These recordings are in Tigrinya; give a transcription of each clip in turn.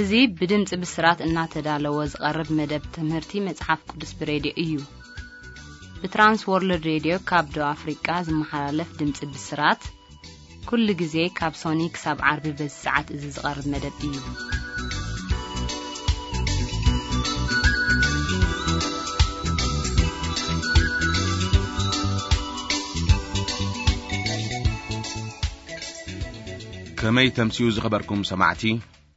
እዚ ብድምፂ ብስራት እናተዳለወ ዝቐርብ መደብ ትምህርቲ መጽሓፍ ቅዱስ ብሬድዮ እዩ። ብትራንስ ወርልድ ሬድዮ ካብ ደቡብ ኣፍሪቃ ዝመሓላለፍ ድምፂ ብስራት፣ ኩሉ ግዜ ካብ ሶኒ ክሳብ ዓርቢ በዚ ሰዓት እዚ ዝቐርብ መደብ እዩ። ከመይ ተምስዩ ዝኸበርኩም ሰማዕቲ፣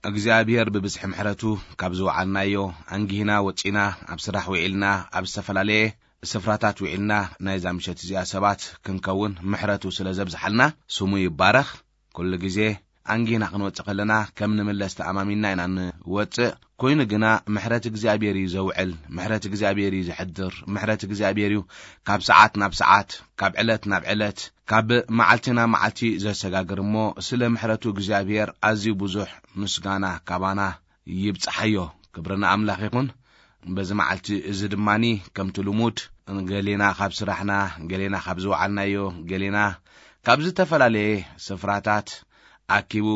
እግዚኣብሔር ብብዝሒ ምሕረቱ ካብ ዝወዓልናዮ ኣንጊህና ወጺና፣ ኣብ ስራሕ ውዒልና፣ ኣብ ዝተፈላለየ ስፍራታት ውዒልና፣ ናይዛ ምሸት እዚኣ ሰባት ክንከውን ምሕረቱ ስለ ዘብዝሓልና ስሙ ይባረኽ። ኩሉ ግዜ ኣንጊህና ክንወጽእ ከለና ከም ንምለስ ተኣማሚንና ኢና ንወጽእ። ኮይኑ ግና ምሕረት እግዚኣብሔር እዩ ዘውዕል፣ ምሕረት እግዚኣብሔር እዩ ዘሕድር፣ ምሕረት እግዚኣብሔር እዩ ካብ ሰዓት ናብ ሰዓት፣ ካብ ዕለት ናብ ዕለት፣ ካብ መዓልቲ ናብ መዓልቲ ዘሰጋግር እሞ፣ ስለ ምሕረቱ እግዚኣብሔር ኣዝዩ ብዙሕ ምስጋና ካባና ይብጽሓዮ። ክብሪ ንኣምላኽ ይኹን። በዚ መዓልቲ እዚ ድማኒ ከምቲ ልሙድ ገሌና ካብ ስራሕና፣ ገሌና ካብ ዝወዓልናዮ፣ ገሌና ካብ ዝተፈላለየ ስፍራታት ኣኪቡ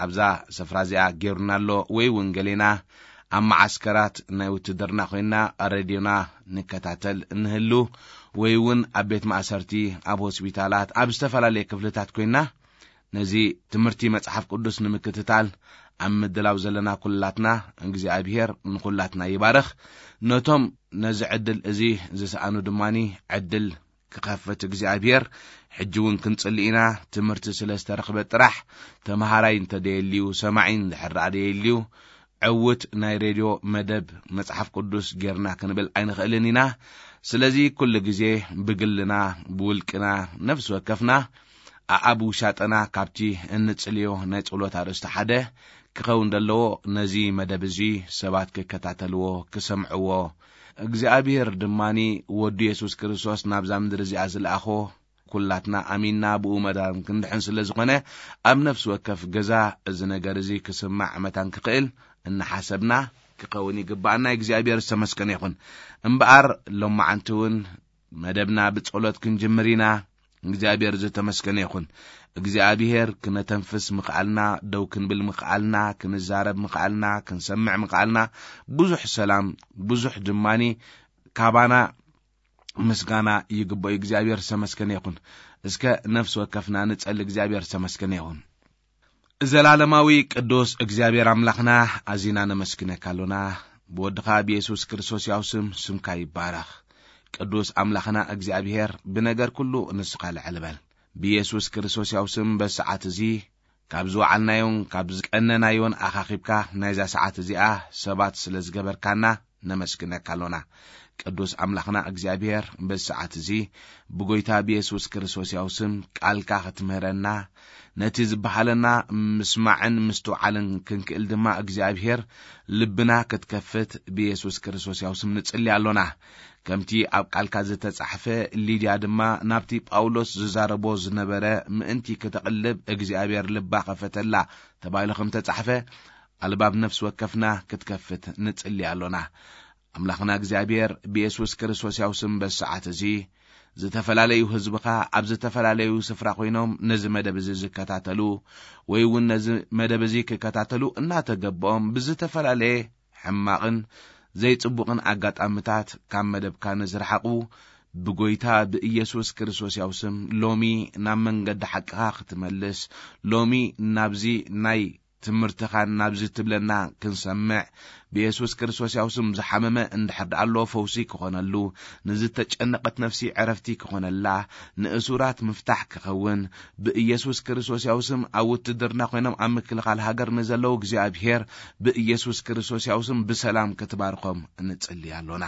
ኣብዛ ስፍራ እዚኣ ጌሩና ኣሎ፣ ወይ እውን ገሌና ኣብ መዓስከራት ናይ ውትድርና ኮይንና ሬድዮና ንከታተል እንህሉ፣ ወይ እውን ኣብ ቤት ማእሰርቲ፣ ኣብ ሆስፒታላት፣ ኣብ ዝተፈላለየ ክፍልታት ኮይንና ነዚ ትምህርቲ መጽሓፍ ቅዱስ ንምክትታል ኣብ ምድላው ዘለና ኩላትና እግዚኣብሔር ንኩላትና ይባርኽ። ነቶም ነዚ ዕድል እዚ ዝሰኣኑ ድማኒ ዕድል ክኸፍት እግዚኣብሔር። ሕጂ እውን ክንጽሊ ኢና። ትምህርቲ ስለ ዝተረኽበ ጥራሕ፣ ተምሃራይ እንተደየልዩ፣ ሰማዒ እንድሕር ደኣ ደየልዩ፣ ዕውት ናይ ሬድዮ መደብ መጽሓፍ ቅዱስ ጌርና ክንብል ኣይንኽእልን ኢና። ስለዚ ኩሉ ግዜ ብግልና፣ ብውልቅና፣ ነፍሲ ወከፍና ኣኣብ ውሻጠና ካብቲ እንጽልዮ ናይ ጸሎት ኣርእስቲ ሓደ ክኸውን ዘለዎ፣ ነዚ መደብ እዚ ሰባት ክከታተልዎ፣ ክሰምዕዎ፣ እግዚኣብሔር ድማኒ ወዱ የሱስ ክርስቶስ ናብዛ ምድሪ እዚኣ ዝለኣኾ፣ ኩላትና ኣሚንና ብኡ መዳን ክንድሕን ስለ ዝኾነ፣ ኣብ ነፍሲ ወከፍ ገዛ እዚ ነገር እዚ ክስማዕ መታን ክኽእል እናሓሰብና ክኸውን ይግባኣና። እግዚኣብሔር ዝተመስገነ ይኹን። እምበኣር ሎማዓንቲ እውን መደብና ብጸሎት ክንጅምር ኢና። እግዚኣብሔር ዝተመስገነ ይኹን። እግዚኣብሔር ክነተንፍስ ምኽኣልና፣ ደው ክንብል ምኽኣልና፣ ክንዛረብ ምኽኣልና፣ ክንሰምዕ ምኽኣልና፣ ብዙሕ ሰላም፣ ብዙሕ ድማኒ ካባና ምስጋና ይግብኦ። እግዚኣብሔር ዝተመስገነ ይኹን። እስከ ነፍሲ ወከፍና ንጸሊ። እግዚኣብሔር ዝተመስገነ ይኹን። ዘላለማዊ ቅዱስ እግዚኣብሔር ኣምላኽና፣ ኣዚና ነመስግነካ ኣሎና። ብወድኻ ብየሱስ ክርስቶስ ያው ስም፣ ስምካ ይባረኽ። ቅዱስ ኣምላኽና እግዚኣብሔር፣ ብነገር ኩሉ ንስኻ ልዕል በል። ብየሱስ ክርስቶስ ያው ስም፣ በዚ ሰዓት እዚ ካብ ዝወዓልናዮን ካብ ዝቀነናዮን ኣኻኺብካ ናይዛ ሰዓት እዚኣ ሰባት ስለ ዝገበርካና ነመስግነካ ኣሎና። ቅዱስ ኣምላኽና እግዚኣብሔር፣ በዚ ሰዓት እዚ ብጎይታ ብየሱስ ክርስቶስ ያው ስም ቃልካ ክትምህረና፣ ነቲ ዝበሃለና ምስማዕን ምስትውዓልን ክንክእል ድማ እግዚኣብሔር ልብና ክትከፍት ብየሱስ ክርስቶስ ያው ስም ንጽሊ ኣሎና። ከምቲ ኣብ ቃልካ ዝተጻሕፈ፣ ሊድያ ድማ ናብቲ ጳውሎስ ዝዛረቦ ዝነበረ ምእንቲ ክተቕልብ እግዚኣብሔር ልባ ከፈተላ ተባሂሉ ከም ተጻሕፈ፣ ኣልባብ ነፍሲ ወከፍና ክትከፍት ንጽሊ ኣሎና። ኣምላኽና እግዚኣብሔር ብየሱስ ክርስቶስ ያው ስም በዚ ሰዓት እዚ ዝተፈላለዩ ህዝብኻ ኣብ ዝተፈላለዩ ስፍራ ኮይኖም ነዚ መደብ እዚ ዝከታተሉ ወይ እውን ነዚ መደብ እዚ ክከታተሉ እናተገበኦም ብዝተፈላለየ ሕማቕን ዘይጽቡቕን ኣጋጣምታት ካብ መደብካ ንዝረሓቑ ብጎይታ ብኢየሱስ ክርስቶስ ያው ስም ሎሚ ናብ መንገዲ ሓቅኻ ክትመልስ፣ ሎሚ ናብዚ ናይ ትምህርትኻን ናብዚ ትብለና ክንሰምዕ፣ ብየሱስ ክርስቶስ ያው ስም ዝሓመመ እንድሕር ደኣ ኣሎ ፈውሲ ክኾነሉ፣ ንዝተጨነቐት ነፍሲ ዕረፍቲ ክኾነላ፣ ንእሱራት ምፍታሕ ክኸውን፣ ብኢየሱስ ክርስቶስ ያው ስም ኣብ ውትድርና ኮይኖም ኣብ ምክልኻል ሃገር ንዘለዉ እግዚኣብሔር ብኢየሱስ ክርስቶስ ያው ስም ብሰላም ክትባርኾም ንጽሊ ኣሎና።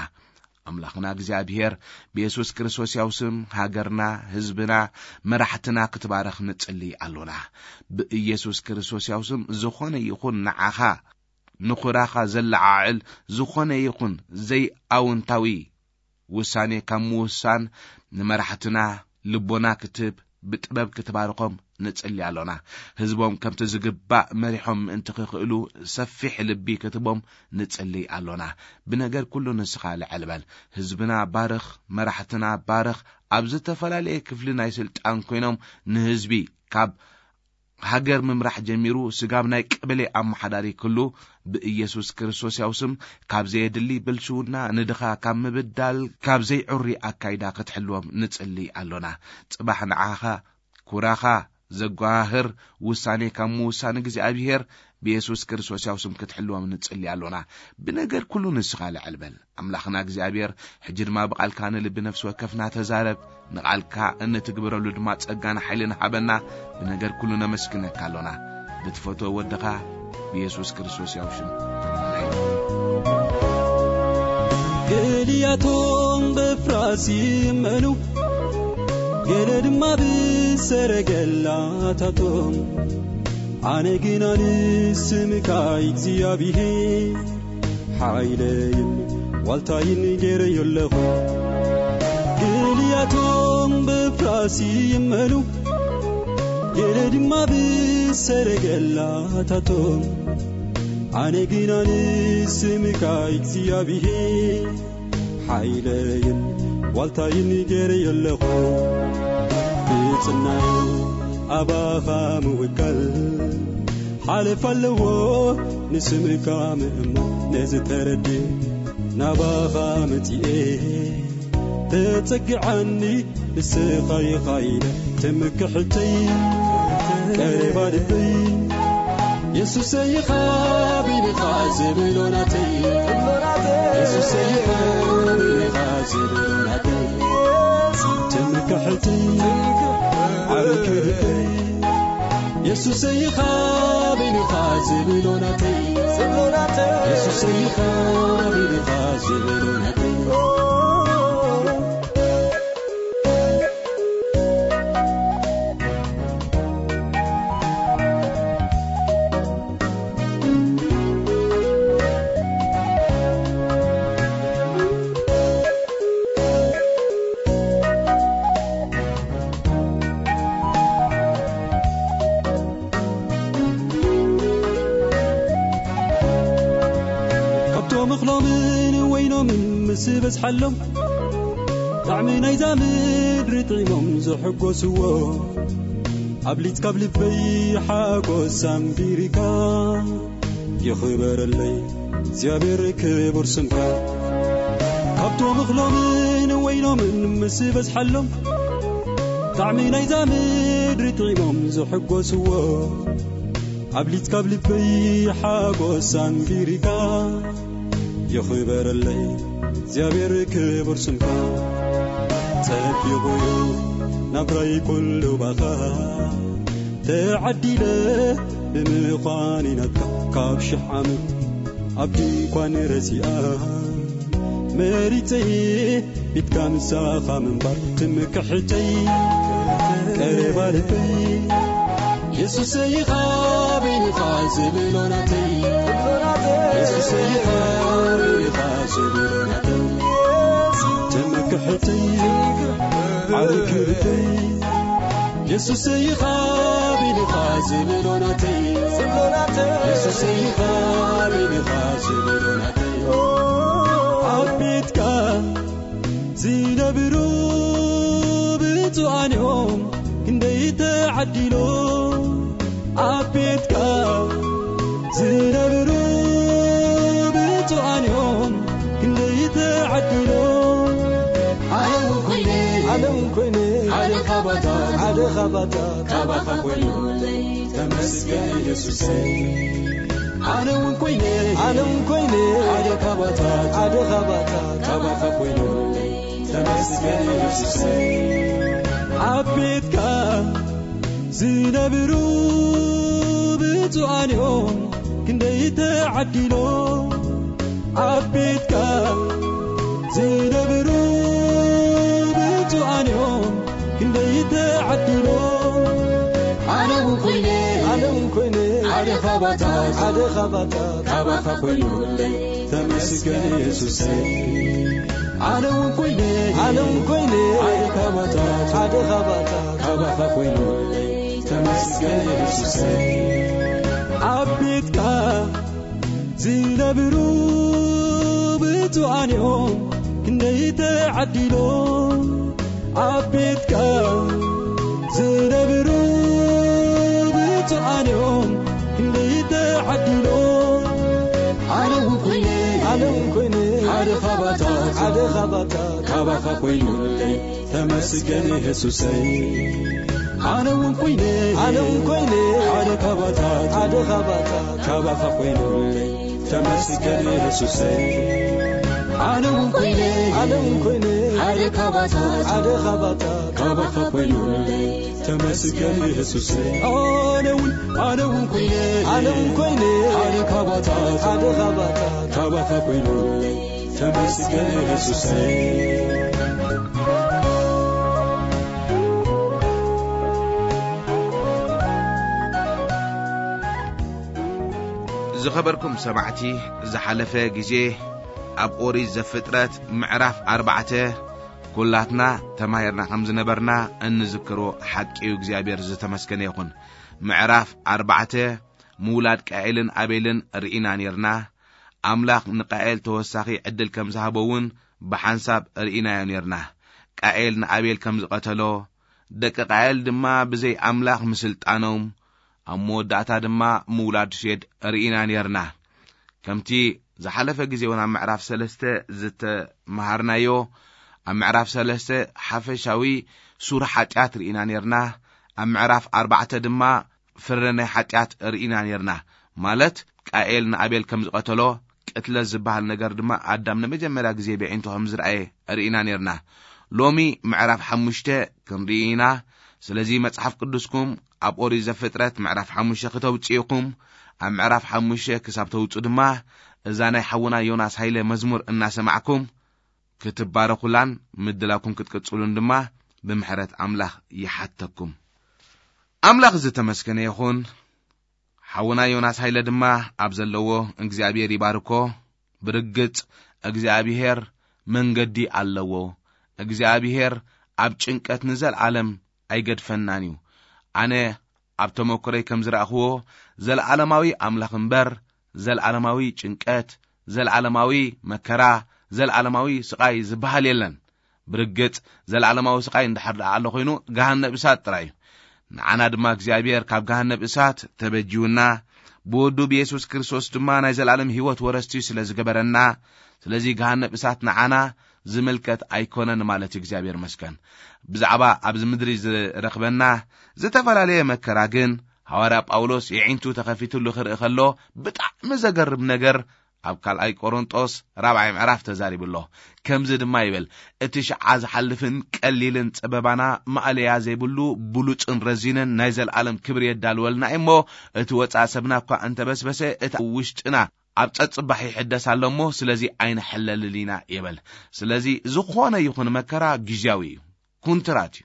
ኣምላኽና እግዚኣብሔር ብየሱስ ክርስቶስ ያው ስም ሃገርና፣ ህዝብና፣ መራሕትና ክትባረኽ ንጽሊ ኣሎና። ብኢየሱስ ክርስቶስ ያው ስም ዝኾነ ይኹን ንዓኻ ንኹራኻ ዘለዓዕል ዝኾነ ይኹን ዘይኣውንታዊ ውሳኔ ካብ ምውሳን ንመራሕትና ልቦና ክትህብ ብጥበብ ክትባርኾም ንጽሊ ኣሎና። ህዝቦም ከምቲ ዝግባእ መሪሖም ምእንቲ ክኽእሉ ሰፊሕ ልቢ ክትቦም ንጽሊ ኣሎና። ብነገር ኩሉ ንስኻ ልዕል በል። ህዝብና ባርኽ፣ መራሕትና ባርኽ። ኣብ ዝተፈላለየ ክፍሊ ናይ ስልጣን ኮይኖም ንህዝቢ ካብ ሃገር ምምራሕ ጀሚሩ፣ ስጋብ ናይ ቀበሌ ኣመሓዳሪ ክሉ፣ ብኢየሱስ ክርስቶስ ያው ስም፣ ካብ ዘየድሊ ብልሽውና፣ ንድኻ ካብ ምብዳል፣ ካብ ዘይዕሪ ኣካይዳ ክትሕልዎም ንጽሊ ኣሎና። ጽባሕ ንዓኻ ኩራኻ ዘጓህር ውሳኔ ካብ ምውሳን እግዚኣብሔር ብየሱስ ክርስቶስ ያው ስም ክትሕልዎም ንጽሊ ኣሎና። ብነገር ኩሉ ንስኻ ልዕል በል። ኣምላኽና እግዚኣብሔር፣ ሕጂ ድማ ብቓልካ ንልቢ ነፍሲ ወከፍና ተዛረብ። ንቓልካ እንትግብረሉ ድማ ጸጋን ሓይልን ሃበና። ብነገር ኩሉ ነመስግነካ ኣሎና። ብትፈትዎ ወድኻ ብየሱስ ክርስቶስ ያው ሽም። ኣሜን። ገሊያቶም በፍራስ ይመኑ፣ ገለ ድማ ብሰረገላታቶም። ኣነ ግና ንስምካ እግዚኣብሔር ሓይለይን ዋልታይን ገይረዮ ኣለኹ። ገሊያቶም በፍራስ ይመኑ፣ ገለ ድማ ብሰረገላታቶም። ኣነ ግና ንስምካ እግዚኣብሔር ሓይለይን ዋልታይን ገይረዮ ኣለኹ። ብጽናዩ ኣባኻ ምውካል ሓለፍ ኣለዎ፣ ንስምካ ምእማን ነዚ ተረድእ። ናባኻ መጺኤ ተጸግዓኒ፣ ንስኻ ኢኻ ኢለ ትምክሕተይ። ቀረባ ልበይ የሱሰይ ኢኻ፣ ቢልኻ ዝብሎ ናተይ። የሱሰይ ኢኻ፣ ቢልኻ ዝብሎ ናተይ። ትምክሕተይ፣ ዓቢ ክብርተይ። የሱሰይ ኢኻ፣ ቢልኻ ዝብሎ ናተይ። የሱሰይ ኢኻ፣ ቢልኻ ዝብሎ ናተይ። ካብቶም እኽሎምን ወይኖምን ምስ በዝሓሎም፣ ጣዕሚ ናይዛ ምድሪ ጥዒሞም ዝሕጎስዎ፣ ኣብሊጽ ካብ ልበይ ሓጎስ ኣንቢርካ። ይኽበረለይ እግዚኣብሔር ክቡር ስምካ። ካብቶም እኽሎምን ወይኖምን ምስ በዝሓሎም፣ ጣዕሚ ናይዛ ምድሪ ጥዒሞም ዝሕጎስዎ፣ ኣብሊጽ ካብ ልበይ ሓጎስ ኣንቢርካ። ይኽበረለይ እግዚኣብሔር ክቡር ስምካ። ጸቢቑ እዩ ናብራይ ኩሉ ባኻ፣ ተዓዲለ ብምዃን ናትካ። ካብ ሽሕ ዓመት ኣብ ድንኳን ረሲኣ መሪጸ ቤትካ ምሳኻ ምንባር ትምክሕተይ። ቀረባ ልበይ የሱሰይ ኢኻ፣ ቢልኻ ዝብሎ ናተይ። የሱሰይ ኢኻ፣ ቢልኻ ዝብሎ ናተይ። ትምክሕተይ፣ ዓቢ ክብርተይ። የሱሰይ ኢኻ፣ ቢልኻ ዝብሎ ናተይ። የሱሰይ ኢኻ፣ ቢልኻ ዝብሎ ናተይ። ኣብ ቤትካ ዝነብሩ ብፁዓን እዮም ክንደይ ተዓዲሎም። ኣብ ቤትካ ዝነብሩ ብፁዓን እዮም ክንደይ ተዓዲሎም። ኣነ እውን ኮይነ፣ ኣነ እውን ኮይነ፣ ሓደ ካባታት፣ ሓደ ካባታት፣ ካባኻ ኮይኑ ተመስገን ኢየሱሰይ። ኣነ እውን ኮይነ፣ ኣነ እውን ኮይነ፣ ሓደ ካባታት፣ ሓደ ካባታት፣ ካባኻ ኮይኑ ተመስገን ኢየሱሰይ። ኣብ ቤትካ ዝነብሩ ብፁዓን እዮም ክንደይ ተዓዲሎም። ኣብ ቤትካ ዝነብሩ ብፁዓን እዮም ክንደይ ተዓዲሎም። ኣነ እውን ኮይነ፣ ኣነ እውን ኮይነ፣ ሓደ ካባታት፣ ሓደ ካባታት፣ ካባኻ ኮይኑለይ ተመስገን ኢየሱሰይ። ኣነ እውን ኮይነ፣ ኣነ እውን ኮይነ፣ ሓደ ካባታት፣ ሓደ ካባታት፣ ካባኻ ኮይኑለይ ተመስገን ኢየሱሰይ። ኣብ ቤትካ ዝነብሩ ብፁዓን እዮም ክንደይ ተዓዲሎም። ኣብ ቤትካ ዝነብሩ ብፁዓን ኮይነ ሓደ ካባታ ሓደ ካባታ ካባኻ ኮይኑለይ ተመስገን የሱሰይ። ኣነ እውን ኮይነ ኣነ እውን ኮይነ ሓደ ካባታ ሓደ ካባታ ካባኻ ኮይኑለይ ተመስገን የሱሰይ። ኣነ እውን ኮይነ ኣነ እውን ኮይነ ሓደ ካባታ ሓደ ካባታ ካባኻ ኮይኑለይ ተመስገን የሱሰይ። ኣነ እውን ኣነ እውን ኮይነ ኣነ እውን ኮይነ ሓደ ካባታ ሓደ ካባታ ካባኻ ኮይኑለይ ተመስገን የሱሰይ። ዝኸበርኩም ሰማዕቲ፣ ዝሓለፈ ግዜ ኣብ ኦሪት ዘፍጥረት ምዕራፍ ኣርባዕተ ኩላትና ተማሂርና ከም ዝነበርና እንዝክሮ ሓቂ እዩ። እግዚኣብሔር ዝተመስገነ ይኹን። ምዕራፍ ኣርባዕተ ምውላድ ቃኤልን ኣቤልን ርኢና ኔርና። ኣምላኽ ንቃኤል ተወሳኺ ዕድል ከም ዝሃቦ እውን ብሓንሳብ ርኢናዮ ኔርና። ቃኤል ንኣቤል ከም ዝቐተሎ፣ ደቂ ቃኤል ድማ ብዘይ ኣምላኽ ምስልጣኖም ኣብ መወዳእታ ድማ ምውላድ ሴድ ርኢና ኔርና። ከምቲ ዝሓለፈ ግዜ እውን ኣብ ምዕራፍ ሰለስተ ዝተመሃርናዮ፣ ኣብ ምዕራፍ ሰለስተ ሓፈሻዊ ሱር ሓጢኣት ርኢና ኔርና። ኣብ ምዕራፍ ኣርባዕተ ድማ ፍረ ናይ ሓጢኣት ርኢና ኔርና። ማለት ቃኤል ንኣቤል ከም ዝቐተሎ፣ ቅትለት ዝበሃል ነገር ድማ ኣዳም ንመጀመርያ ግዜ ብዒንቱ ከም ዝረኣየ ርኢና ኔርና። ሎሚ ምዕራፍ ሓሙሽተ ክንርኢ ኢና። ስለዚ መጽሓፍ ቅዱስኩም ኣብ ኦሪት ዘፍጥረት ምዕራፍ ሓሙሽተ ክተውጽኡ ኢኹም። ኣብ ምዕራፍ ሓሙሽተ ክሳብ ተውጹ ድማ እዛ ናይ ሓውና ዮናስ ሃይለ መዝሙር እናሰማዕኩም ክትባረኹላን ምድላኩም ክትቅጽሉን ድማ ብምሕረት ኣምላኽ ይሓተኩም። ኣምላኽ ዝተመስገነ ይኹን። ሓውና ዮናስ ሃይለ ድማ ኣብ ዘለዎ እግዚኣብሔር ይባርኮ። ብርግጽ እግዚኣብሔር መንገዲ ኣለዎ። እግዚኣብሔር ኣብ ጭንቀት ንዘለዓለም ኣይገድፈናን እዩ። ኣነ ኣብ ተመክሮይ ከም ዝረኣኽዎ፣ ዘለዓለማዊ ኣምላኽ እምበር፣ ዘለዓለማዊ ጭንቀት፣ ዘለዓለማዊ መከራ፣ ዘለዓለማዊ ስቓይ ዝበሃል የለን። ብርግጽ፣ ዘለዓለማዊ ስቓይ እንድሕር ደኣ ኣሎ ኮይኑ፣ ገሃነብ እሳት ጥራይ እዩ። ንዓና ድማ እግዚኣብሔር ካብ ገሃነብ እሳት ተበጂውና፣ ብወዱ ብየሱስ ክርስቶስ ድማ ናይ ዘለዓለም ህይወት ወረስቲ ስለ ዝገበረና፣ ስለዚ ገሃነብ እሳት ንዓና ዝምልከት ኣይኮነን ማለት እዩ። እግዚኣብሔር መስገን። ብዛዕባ ኣብዚ ምድሪ ዝረኽበና ዝተፈላለየ መከራ ግን፣ ሃዋርያ ጳውሎስ የዒንቱ ተኸፊትሉ ክርኢ ከሎ፣ ብጣዕሚ ዘገርም ነገር ኣብ ካልኣይ ቆሮንጦስ ራብዓይ ምዕራፍ ተዛሪቡ ኣሎ። ከምዚ ድማ ይብል፣ "እቲ ሽዓ ዝሓልፍን ቀሊልን ጸበባና ማእለያ ዘይብሉ ብሉጽን ረዚንን ናይ ዘለኣለም ክብሪ የዳልወልና እሞ፣ እቲ ወጻእ ሰብና እኳ እንተበስበሰ፣ እቲ ኣብ ውሽጥና ኣብ ጸጽባሕ ይሕደስ ኣሎ እሞ፣ ስለዚ ኣይንሕለልን ኢና" ይብል። ስለዚ ዝኾነ ይኹን መከራ ግዝያዊ እዩ፣ ኩንትራት እዩ።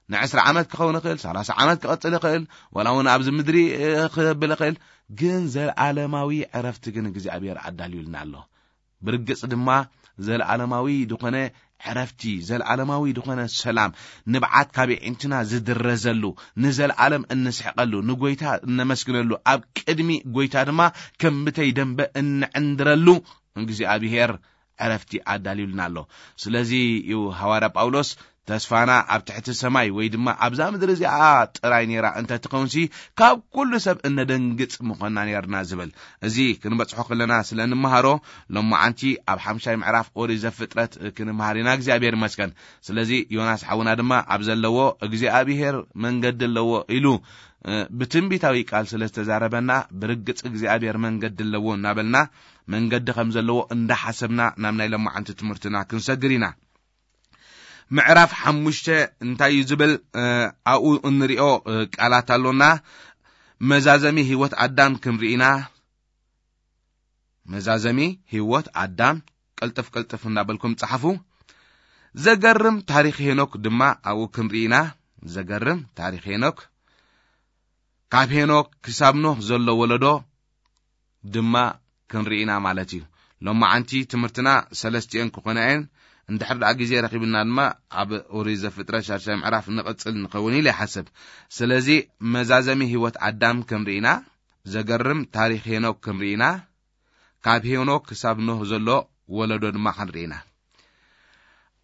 ንዕስራ ዓመት ክኸውን ይኽእል፣ ሰላሳ ዓመት ክቐጽል ይኽእል፣ ዋላ እውን ኣብዚ ምድሪ፣ እ፣ ክብል ይኽእል፣ ግን ዘለኣለማዊ ዕረፍቲ ግን እግዚኣብሔር ኣዳልዩልና ኣሎ። ብርግጽ ድማ ዘለኣለማዊ ዝኾነ ዕረፍቲ፣ ዘለኣለማዊ ዝኾነ ሰላም፣ ንብዓት ካብ የዒንትና ዝድረዘሉ፣ ንዘለኣለም እንስሕቐሉ፣ ንጎይታ እነመስግነሉ፣ ኣብ ቅድሚ ጎይታ ድማ ከም ብተይ ደንበ እንዕንድረሉ እግዚኣብሔር ዕረፍቲ ኣዳልዩልና ኣሎ። ስለዚ እዩ ሃዋርያ ጳውሎስ፣ "ተስፋና ኣብ ትሕቲ ሰማይ ወይ ድማ ኣብዛ ምድሪ እዚኣ ጥራይ ነይራ እንተ ትኸውንሲ፣ ካብ ኩሉ ሰብ እነደንግጽ ምኾንና ነይርና" ዝብል። እዚ ክንበጽሖ ከለና ስለ እንመሃሮ፣ ሎማዓንቲ ኣብ ሓምሻይ ምዕራፍ ኦሪት ዘፍጥረት ክንመሃር ኢና። እግዚኣብሔር ይመስገን። ስለዚ ዮናስ ሓውና ድማ ኣብ ዘለዎ እግዚኣብሔር መንገዲ ኣለዎ ኢሉ፣ እ፣ ብትንቢታዊ ቃል ስለ ዝተዛረበና፣ ብርግጽ እግዚኣብሔር መንገዲ ኣለዎ እናበልና፣ መንገዲ ከም ዘለዎ እንዳሓሰብና ናብ ናይ ሎማዓንቲ ትምህርትና ክንሰግር ኢና። ምዕራፍ ሓሙሽተ እንታይ እዩ ዝብል? እ፣ ኣብኡ እንሪኦ፣ እ፣ ቃላት ኣሎና። መዛዘሚ ህይወት ኣዳም ክንርኢ ኢና። መዛዘሚ ህይወት ኣዳም፣ ቅልጥፍ ቅልጥፍ እናበልኩም ጸሓፉ። ዘገርም ታሪኽ ሄኖክ ድማ ኣብኡ ክንርኢ ኢና። ዘገርም ታሪኽ ሄኖክ። ካብ ሄኖክ ክሳብ ኖህ ዘሎ ወለዶ ድማ ክንርኢ ኢና ማለት እዩ። ሎማዓንቲ ትምህርትና ሰለስቲኤን ክኾና እየን። እንድሕር ደኣ ግዜ ረኺብና ድማ ኣብ ኦሪት ዘፍጥረት ሻድሻይ ምዕራፍ ንቕጽል ንኸውን ኢለ ይሓስብ። ስለዚ መዛዘሚ ህይወት ኣዳም ክንርኢ ኢና። ዘገርም ታሪኽ ሄኖክ ክንርኢ ኢና። ካብ ሄኖክ ክሳብ ኖህ ዘሎ ወለዶ ድማ ክንርኢ ኢና።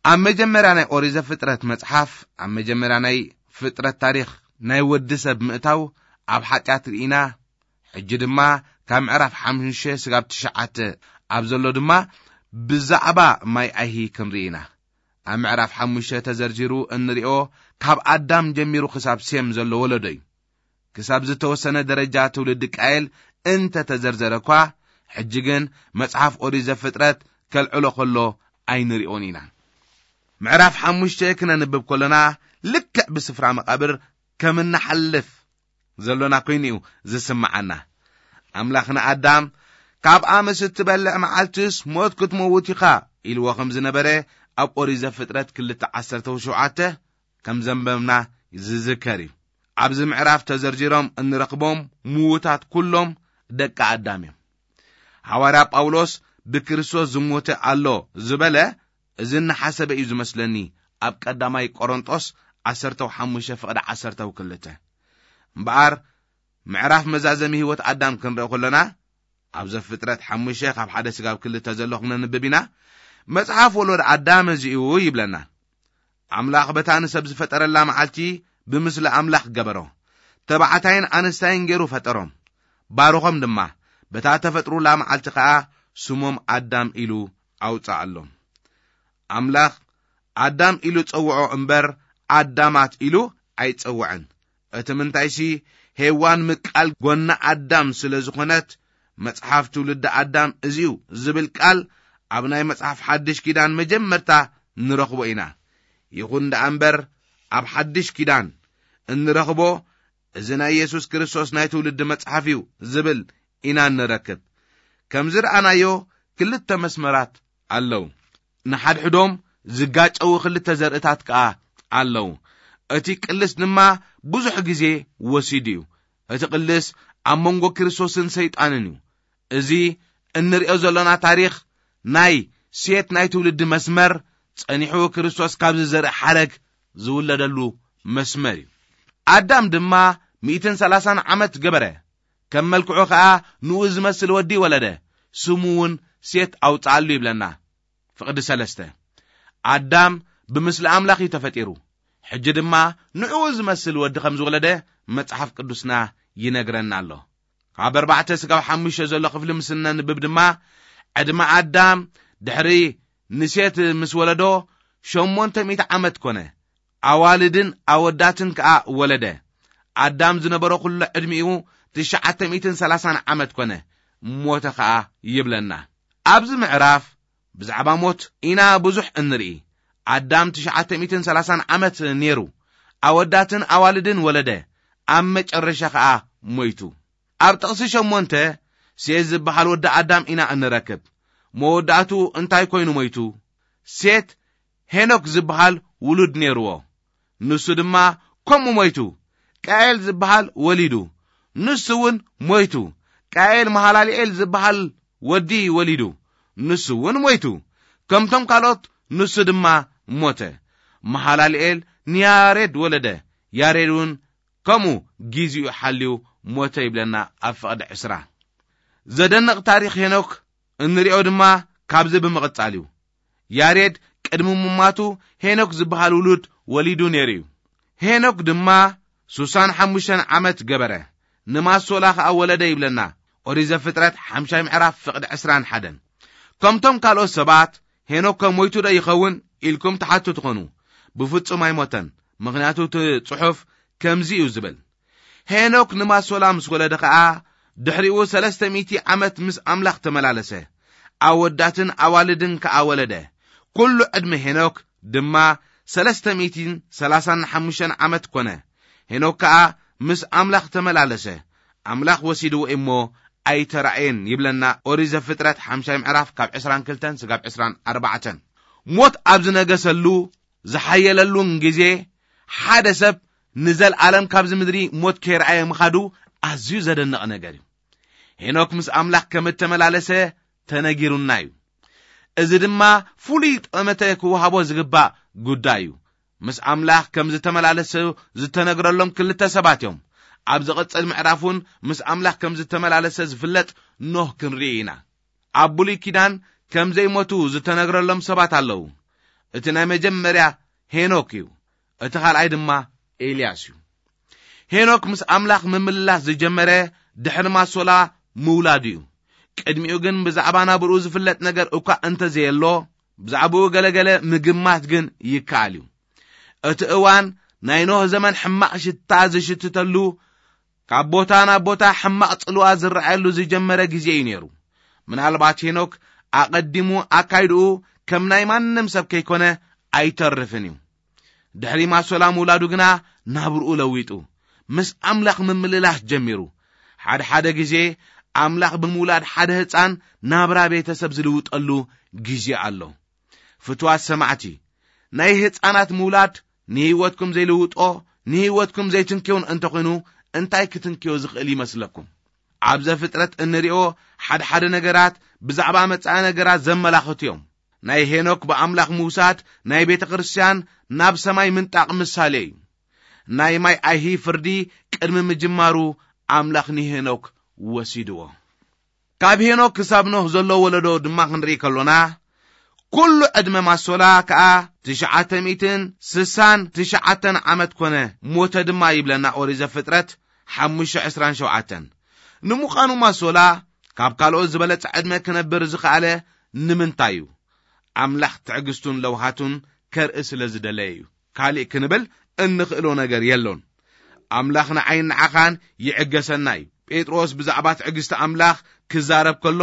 ኣብ መጀመርያ ናይ ኦሪት ዘፍጥረት መጽሓፍ፣ ኣብ መጀመርያ ናይ ፍጥረት ታሪኽ ናይ ወዲ ሰብ ምእታው ኣብ ሓጢኣት ርኢና። ሕጂ ድማ ካብ ምዕራፍ ሓሙሽተ ስጋብ ትሽዓተ ኣብ ዘሎ ድማ ብዛዕባ ማይ ኣይሂ ክንርኢ ኢና። ኣብ ምዕራፍ ሓሙሽተ ተዘርዚሩ እንሪኦ ካብ ኣዳም ጀሚሩ ክሳብ ሴም ዘሎ ወለዶ እዩ። ክሳብ ዝተወሰነ ደረጃ ትውልዲ ቃየል እንተ ተዘርዘረ እኳ፣ ሕጂ ግን መጽሓፍ ኦሪት ዘፍጥረት ከልዕሎ ከሎ ኣይንሪኦን ኢና። ምዕራፍ ሓሙሽተ ክነንብብ ከሎና፣ ልክዕ ብስፍራ መቓብር ከም እንሓልፍ ዘሎና ኮይኑ እዩ ዝስምዓና። ኣምላኽ ንኣዳም፣ "ካብኣ ምስ እትበልዕ መዓልትስ ሞት ክትመውት ኢኻ" ኢልዎ ከም ዝነበረ ኣብ ኦሪት ዘፍጥረት ክልተ ዓሰርተ ሸውዓተ ከም ዘንበብና ዝዝከር እዩ። ኣብዚ ምዕራፍ ተዘርዚሮም እንረኽቦም ምዉታት ኩሎም ደቂ ኣዳም እዮም። ሃዋርያ ጳውሎስ ብክርስቶስ ዝሞተ ኣሎ ዝበለ፣ እዚ እናሓሰበ እዩ ዝመስለኒ፣ ኣብ ቀዳማይ ቆሮንጦስ ዓሰርተ ሓሙሽተ ፍቕዲ ዓሰርተ ክልተ። እምበኣር ምዕራፍ መዛዘሚ ህይወት ኣዳም ክንርኢ ከለና፣ ኣብ ዘፍጥረት ሓሙሽተ ካብ ሓደ ስጋብ ክልተ ዘሎ ክነንብብ ኢና። መጽሓፍ ወሎድ ኣዳም እዚ እዩ ይብለና። ኣምላኽ በታ ንሰብ ዝፈጠረላ መዓልቲ ብምስሊ ኣምላኽ ገበሮ። ተባዕታይን ኣንስታይን ገይሩ ፈጠሮም። ባርኾም ድማ፣ በታ ተፈጥሩላ መዓልቲ ኸኣ ስሞም ኣዳም ኢሉ ኣውጽኣሎም። ኣምላኽ ኣዳም ኢሉ ጸውዖ እምበር፣ ኣዳማት ኢሉ ኣይጸውዐን። እቲ ምንታይሲ፣ ሄዋን ምቃል ጎና ኣዳም ስለ ዝኾነት፣ መጽሓፍ ትውልዲ ኣዳም እዚዩ ዝብል ቃል ኣብ ናይ መጽሓፍ ሓድሽ ኪዳን መጀመርታ ንረኽቦ ኢና። ይኹን ደኣ እምበር፣ ኣብ ሓድሽ ኪዳን እንረኽቦ፣ እዚ ናይ የሱስ ክርስቶስ ናይ ትውልዲ መጽሓፍ እዩ ዝብል ኢና እንረክብ። ከም ዝረኣናዮ፣ ክልተ መስመራት ኣለዉ። ንሓድሕዶም ዝጋጨዉ ክልተ ዘርእታት ከኣ ኣለዉ። እቲ ቅልስ ድማ ብዙሕ ግዜ ወሲዱ እዩ። እቲ ቅልስ ኣብ መንጎ ክርስቶስን ሰይጣንን እዩ። እዚ እንርእዮ ዘሎና ታሪኽ ናይ ሴት ናይ ትውልዲ መስመር ጸኒሑ ክርስቶስ ካብ ዝዘርእ ሓረግ ዝውለደሉ መስመር እዩ። ኣዳም ድማ ሚእትን ሰላሳን ዓመት ገበረ። ከም መልክዑ ኸኣ ንኡ ዝመስል ወዲ ወለደ። ስሙ እውን ሴት ኣውጽኣሉ ይብለና። ፍቕዲ ሰለስተ። ኣዳም ብምስሊ ኣምላኽ እዩ ተፈጢሩ። ሕጂ ድማ ንኡ ዝመስል ወዲ ከም ዝወለደ መጽሓፍ ቅዱስና ይነግረና ኣሎ። ካብ ኣርባዕተ ስጋብ ሓሙሽተ ዘሎ ክፍሊ ምስ እነንብብ ድማ፣ ዕድመ ኣዳም ድሕሪ ንሴት ምስ ወለዶ ሸሞንተ ሚእቲ ዓመት ኮነ። ኣዋልድን ኣወዳትን ከኣ ወለደ። ኣዳም ዝነበሮ ኩሎ ዕድሚኡ ትሽዓተ ሚእትን ሰላሳን ዓመት ኮነ፣ ሞተ ከኣ ይብለና። ኣብዚ ምዕራፍ ብዛዕባ ሞት ኢና ብዙሕ እንርኢ። ኣዳም ትሽዓተ ሚእትን ሰላሳን ዓመት ነይሩ። ኣወዳትን ኣዋልድን ወለደ። ኣብ መጨረሻ ከኣ ሞይቱ። ኣብ ጥቕሲ ሸሞንተ፣ ሴት ዝበሃል ወዲ ኣዳም ኢና እንረክብ። መወዳእትኡ እንታይ ኮይኑ ሞይቱ? ሴት ሄኖክ ዝበሃል ውሉድ ነይርዎ። ንሱ ድማ ከምኡ ሞይቱ። ቃኤል ዝበሃል ወሊዱ። ንሱ እውን ሞይቱ። ቃኤል መሃላልኤል ዝበሃል ወዲ ወሊዱ። ንሱ እውን ሞይቱ። ከምቶም ካልኦት ንሱ ድማ ሞተ። መሃላልኤል ንያሬድ ወለደ። ያሬድ እውን ከምኡ ጊዜኡ ሓልዩ ሞተ ይብለና ኣብ ፍቕዲ ዕስራ። ዘደንቕ ታሪኽ ሄኖክ እንሪኦ ድማ ካብዚ ብምቕጻል እዩ። ያሬድ ቅድሚ ምማቱ ሄኖክ ዝበሃል ውሉድ ወሊዱ ነይሩ እዩ። ሄኖክ ድማ ሱሳን ሓሙሽተን ዓመት ገበረ፣ ንማሶላ ኸኣ ወለደ ይብለና ኦሪት ዘፍጥረት ሓምሻይ ምዕራፍ ፍቕዲ ዕስራን ሓደን። ከምቶም ካልኦት ሰባት ሄኖክ ከ ሞይቱ ዶ ይኸውን ኢልኩም ትሓቱ ትኾኑ። ብፍጹም ኣይሞተን፣ ምኽንያቱ እቲ ጽሑፍ ከምዚ እዩ ዝብል። ሄኖክ ንማሶላ ምስ ወለደ ኸኣ፣ ድሕሪኡ ሰለስተ ሚእቲ ዓመት ምስ ኣምላኽ ተመላለሰ። ኣወዳትን ኣዋልድን ከኣ ወለደ። ኩሉ ዕድመ ሄኖክ ድማ ሰለስተ ሚእትን ሰላሳን ሓሙሽተን ዓመት ኮነ። ሄኖክ ከኣ ምስ ኣምላኽ ተመላለሰ። ኣምላኽ ወሲድዎ እሞ ኣይተራእየን ይብለና ኦሪት ዘፍጥረት ሓምሻይ ምዕራፍ ካብ ዕስራን ክልተን ስጋብ ዕስራን ኣርባዕተን። ሞት ኣብ ዝነገሰሉ፣ ዝሓየለሉን ግዜ፣ ሓደ ሰብ ንዘልኣለም ካብዚ ምድሪ ሞት ከይረኣየ ምኻዱ ኣዝዩ ዘደንቕ ነገር እዩ። ሄኖክ ምስ ኣምላኽ ከም እተመላለሰ ተነጊሩና እዩ። እዚ ድማ ፍሉይ ጠመተ ክወሃቦ ዝግባእ ጉዳይ እዩ። ምስ ኣምላኽ ከም ዝተመላለሰ ዝተነግረሎም ክልተ ሰባት እዮም። ኣብ ዝቕጽል ምዕራፍ እውን ምስ ኣምላኽ ከም ዝተመላለሰ ዝፍለጥ ኖህ ክንርኢ ኢና። ኣብ ብሉይ ኪዳን ከም ዘይሞቱ ዝተነግረሎም ሰባት ኣለዉ። እቲ ናይ መጀመርያ ሄኖክ እዩ። እቲ ካልኣይ ድማ ኤልያስ እዩ። ሄኖክ ምስ ኣምላኽ ምምልላስ ዝጀመረ ድሕሪ ማሶላ ምውላዱ እዩ። ቅድሚኡ ግን ብዛዕባ ናብርኡ ዝፍለጥ ነገር እኳ እንተዘየሎ፣ ብዛዕባኡ ገለገለ ምግማት ግን ይከኣል እዩ። እቲ እዋን ናይ ኖህ ዘመን ሕማቕ ሽታ ዝሽትተሉ፣ ካብ ቦታ ናብ ቦታ ሕማቕ ጽልዋ ዝረኣየሉ ዝጀመረ ግዜ እዩ ነይሩ። ምናልባት ሄኖክ ኣቐዲሙ ኣካይድኡ ከም ናይ ማንም ሰብ ከይኮነ ኣይተርፍን እዩ። ድሕሪ ማሶላ ምውላዱ ግና ናብርኡ ለዊጡ፣ ምስ ኣምላኽ ምምልላስ ጀሚሩ። ሓደ ሓደ ግዜ ኣምላኽ ብምውላድ ሓደ ህጻን ናብራ ቤተሰብ ዝልውጠሉ ግዜ ኣሎ። ፍትዋት ሰማዕቲ፣ ናይ ህጻናት ምውላድ ንህይወትኩም ዘይልውጦ፣ ንህይወትኩም ዘይትንክዮን እንተኾይኑ፣ እንታይ ክትንክዮ ዝኽእል ይመስለኩም? ኣብ ዘፍጥረት እንሪኦ ሓደ ሓደ ነገራት ብዛዕባ መጻኢ ነገራት ዘመላኽቱ እዮም። ናይ ሄኖክ ብኣምላኽ ምውሳድ ናይ ቤተ ክርስቲያን ናብ ሰማይ ምንጣቕ ምሳሌ እዩ። ናይ ማይ ኣይሂ ፍርዲ ቅድሚ ምጅማሩ ኣምላኽ ንሄኖክ ወሲድዎ። ካብ ሄኖክ ክሳብ ኖህ ዘሎ ወለዶ ድማ ክንርኢ ከሎና፣ ኩሉ ዕድመ ማሶላ ከኣ ትሽዓተ ሚእትን ስሳን ትሽዓተን ዓመት ኮነ፣ ሞተ ድማ ይብለና ኦሪት ዘፍጥረት ሓሙሽተ ዕስራን ሸውዓተን። ንምዃኑ ማሶላ ካብ ካልኦት ዝበለጸ ዕድመ ክነብር ዝኸኣለ ንምንታይ እዩ? ኣምላኽ ትዕግስቱን ለውሃቱን ከርኢ ስለ ዝደለየ እዩ። ካልእ ክንብል እንኽእሎ ነገር የሎን። ኣምላኽ ንዓይን ንዓኻን ይዕገሰና እዩ። ጴጥሮስ ብዛዕባ ትዕግስቲ ኣምላኽ ክዛረብ ከሎ፣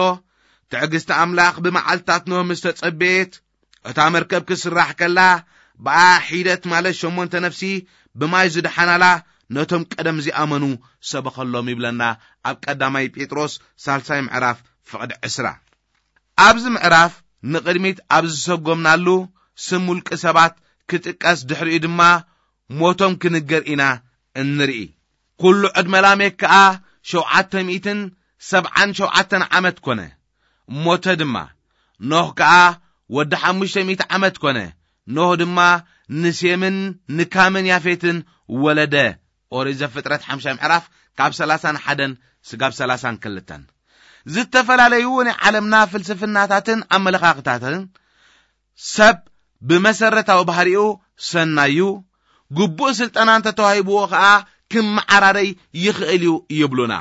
ትዕግስቲ ኣምላኽ ብመዓልትታት ኖህ ምስ ተጸበየት፣ እታ መርከብ ክስራሕ ከላ፣ ብኣ ሒደት ማለት ሸሞንተ ነፍሲ ብማይ ዝደሓናላ ነቶም ቀደም ዝኣመኑ ሰበኸሎም ይብለና ኣብ ቀዳማይ ጴጥሮስ ሳልሳይ ምዕራፍ ፍቕዲ ዕስራ። ኣብዚ ምዕራፍ ንቕድሚት ኣብ ዝሰጎምናሉ ስም ውልቂ ሰባት ክጥቀስ፣ ድሕሪኡ ድማ ሞቶም ክንገር ኢና እንርኢ። ኩሉ ዕድመ ላሜክ ከኣ ሸውዓተ ሚእትን ሰብዓን ሸውዓተን ዓመት ኮነ፣ ሞተ ድማ። ኖህ ከኣ ወዲ ሓሙሽተ ሚእቲ ዓመት ኮነ። ኖህ ድማ ንሴምን ንካምን ያፌትን ወለደ። ኦሪት ዘፍጥረት ሓምሻይ ምዕራፍ ካብ ሰላሳን ሓደን ስጋብ ሰላሳን ክልተን። ዝተፈላለዩ ናይ ዓለምና ፍልስፍናታትን ኣመለኻኽታትን ሰብ ብመሰረታዊ ባህሪኡ ሰናዩ፣ ግቡእ ስልጠና እንተተዋሂብዎ ኸኣ ክመዓራረይ ይኽእል እዩ ይብሉና።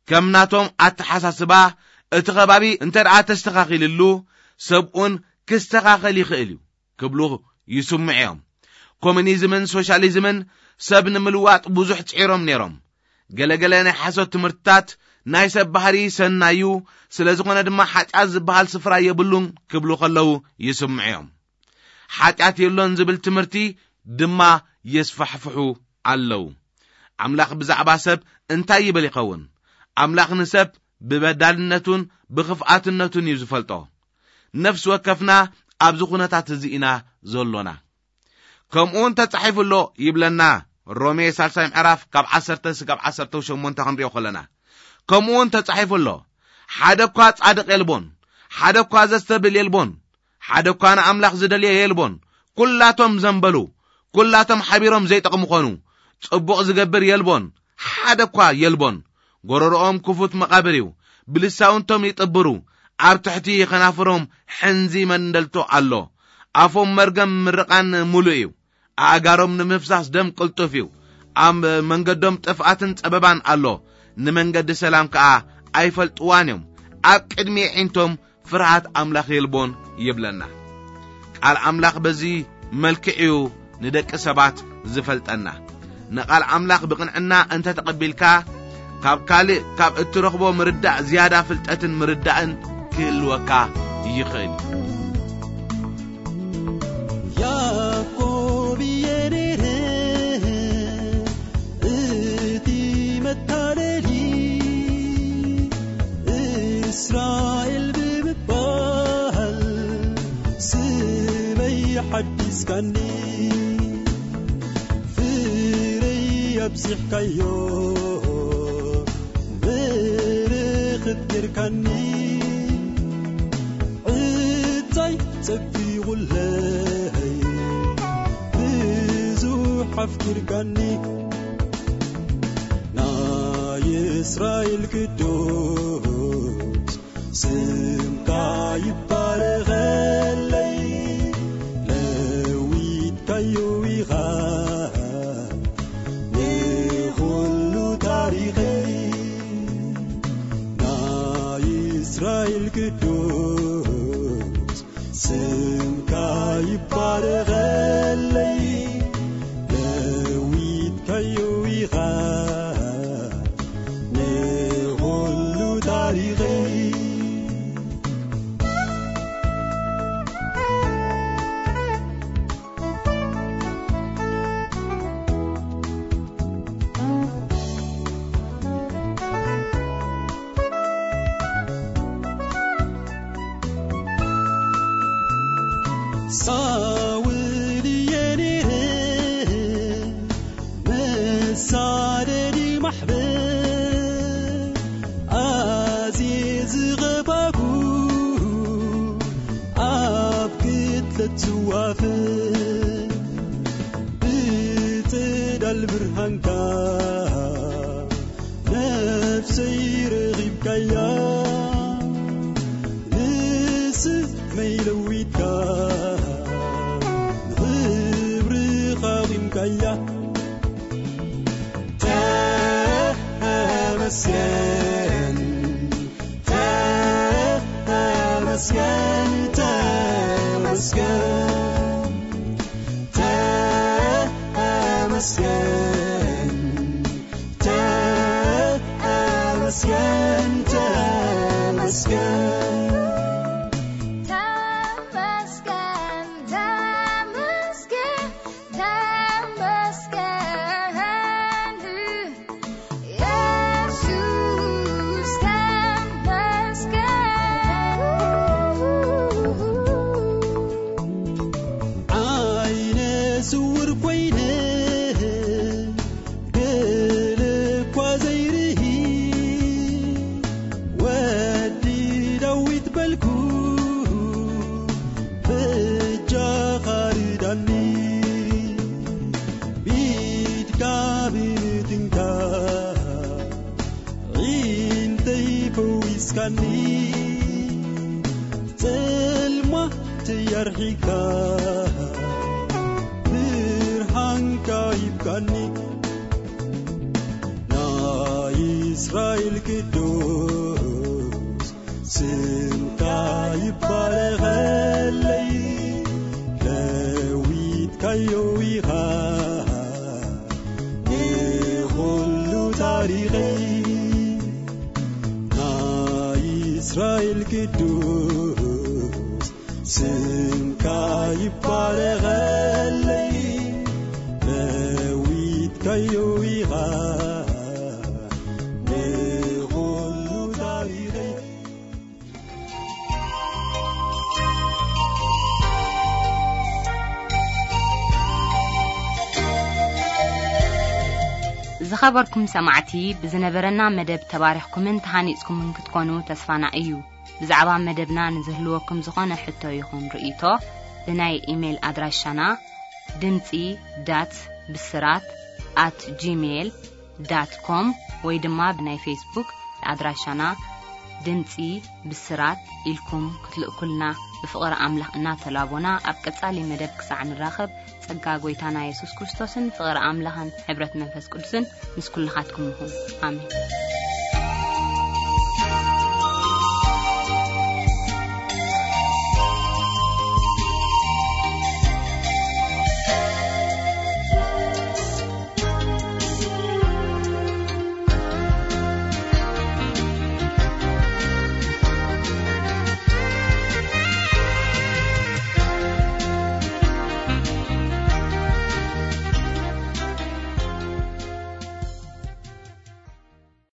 ከም ናቶም ኣተሓሳስባ እቲ ከባቢ እንተ ደኣ ተስተኻኺልሉ፣ ሰብኡን ክስተኻኸል ይኽእል እዩ ክብሉ ይስምዑ እዮም። ኮሙኒዝምን ሶሻሊዝምን ሰብ ንምልዋጥ ብዙሕ ጽዒሮም ነይሮም። ገለገለ ናይ ሓሶት ትምህርትታት ናይ ሰብ ባህሪ ሰናዩ፣ ስለ ዝኾነ ድማ ሓጢኣት ዝበሃል ስፍራ የብሉን ክብሉ ከለዉ ይስምዑ እዮም። ሓጢኣት የሎን ዝብል ትምህርቲ ድማ የስፋሕፍሑ ኣለዉ። ኣምላኽ ብዛዕባ ሰብ እንታይ ይብል ይኸውን? ኣምላኽ ንሰብ ብበዳልነቱን ብኽፍኣትነቱን እዩ ዝፈልጦ። ነፍሲ ወከፍና ኣብዚ ኩነታት እዚ ኢና ዘሎና። ከምኡ እውን ተጻሒፉ ኣሎ ይብለና ሮሜ ሳልሳይ ምዕራፍ ካብ ዓሰርተ ስጋብ ዓሰርተ ሸሞንተ ክንሪኦ ከለና፣ ከምኡ እውን ተጻሒፉ ኣሎ፣ ሓደ እኳ ጻድቕ የልቦን፣ ሓደ እኳ ዘስተብል የልቦን፣ ሓደ እኳ ንኣምላኽ ዝደልየ የልቦን። ኩላቶም ዘንበሉ፣ ኩላቶም ሓቢሮም ዘይጠቕሙ ኾኑ። ጽቡቕ ዝገብር የልቦን፣ ሓደ እኳ የልቦን። ጎረሮኦም ክፉት መቓብር እዩ፣ ብልሳውንቶም ይጥብሩ፣ ኣብ ትሕቲ ኸናፍሮም ሕንዚ መንደልቶ ኣሎ። ኣፎም መርገም ምርቓን ምሉእ እዩ፣ ኣእጋሮም ንምፍሳስ ደም ቅልጡፍ እዩ። ኣብ መንገዶም ጥፍኣትን ጸበባን ኣሎ፣ ንመንገዲ ሰላም ከኣ ኣይፈልጥዋን እዮም። ኣብ ቅድሚ ኣዒንቶም ፍርሃት ኣምላኽ የልቦን ይብለና። ቃል ኣምላኽ በዚ መልክዕ እዩ ንደቂ ሰባት ዝፈልጠና። ንቓል ኣምላኽ ብቕንዕና እንተ ተቐቢልካ፣ ካብ ካልእ ካብ እትረኽቦ ምርዳእ ዝያዳ ፍልጠትን ምርዳእን ክህልወካ ይኽእል። ያዕቆብ እየ ነይረ እቲ መታለሊ፣ እስራኤል ብምባል ስመይ ሓዲስካኒ። ፍረይ ኣብዚሕካዮ፣ በረኸት ጌርካኒ። ዕጻይ ጸጊቑለይ፣ ብዙሕ ኣፍቂርካኒ። ናይ እስራኤል ቅዱስ ስምካ ይባረኸለይ። ለዊጥካዮ ኢኻ ንኹሉ ታሪኸይ። ናይ ቅዱስ ስምካ ይባረኸለይ፣ ለዊጥካዮ ኢኻ ንኹሉ ታሪኸይ። ሳውል እየ ነይረ መሳደዲ ማሕበር፣ ኣዝየ ዝቐባኩ ኣብ ቅትለት ዝዋፈር፣ ብጽላል ብርሃንካ ነፍሰይ ረኺብካያ፣ ንስመይ ለዊጥካ ንኽብርኻ ኣቑምካያ። ተመስገን፣ ተመስገን፣ ተመስገን፣ ተመስገን። ተመስገን፣ ተመስገን። ተመስገን፣ ተመስገን፣ ተመስገን። የሱስ ተመስገን። ዓይነ ስውር ኮይነ ገለ እኳ ዘይርኢ፣ ወዲ ዳዊት በልኩ በጃኻ ርዳኒ። ብኢድካ ብምትንካፍ ዒንተይ ፈዊስካኒ፣ ጽልማተይ ኣርሒቕካ ብርሃንካ ሂብካኒ። ናይ እስራኤል ቅዱስ ስምካ ይባረኸለይ፣ ለዊጥካዮ ኢኻ ንኹሉ ታሪኸይ። ናይ እስራኤል ቅዱስ ስምካ ይባረኸለይ፣ ለዊጥካዮ ኢኻ ንኹሉ ታሪኸይ። ዝኸበርኩም ሰማዕቲ፣ ብዝነበረና መደብ ተባሪኽኩምን ተሃኒጽኩምን ክትኮኑ ተስፋና እዩ። ብዛዕባ መደብና ንዝህልወኩም ዝኾነ ሕቶ ይኹን ርእይቶ፣ ብናይ ኢሜይል ኣድራሻና ድምጺ ዳት ብስራት ኣት ጂሜይል ዳት ኮም ወይ ድማ ብናይ ፌስቡክ ኣድራሻና ድምጺ ብስራት ኢልኩም ክትልእኩልና ብፍቕሪ ኣምላኽ እናተላቦና፣ ኣብ ቀጻሊ መደብ ክሳዕ ንራኸብ፣ ጸጋ ጐይታና የሱስ ክርስቶስን ፍቕሪ ኣምላኽን ሕብረት መንፈስ ቅዱስን ምስ ኩልኻትኩም ይኹን። ኣሜን።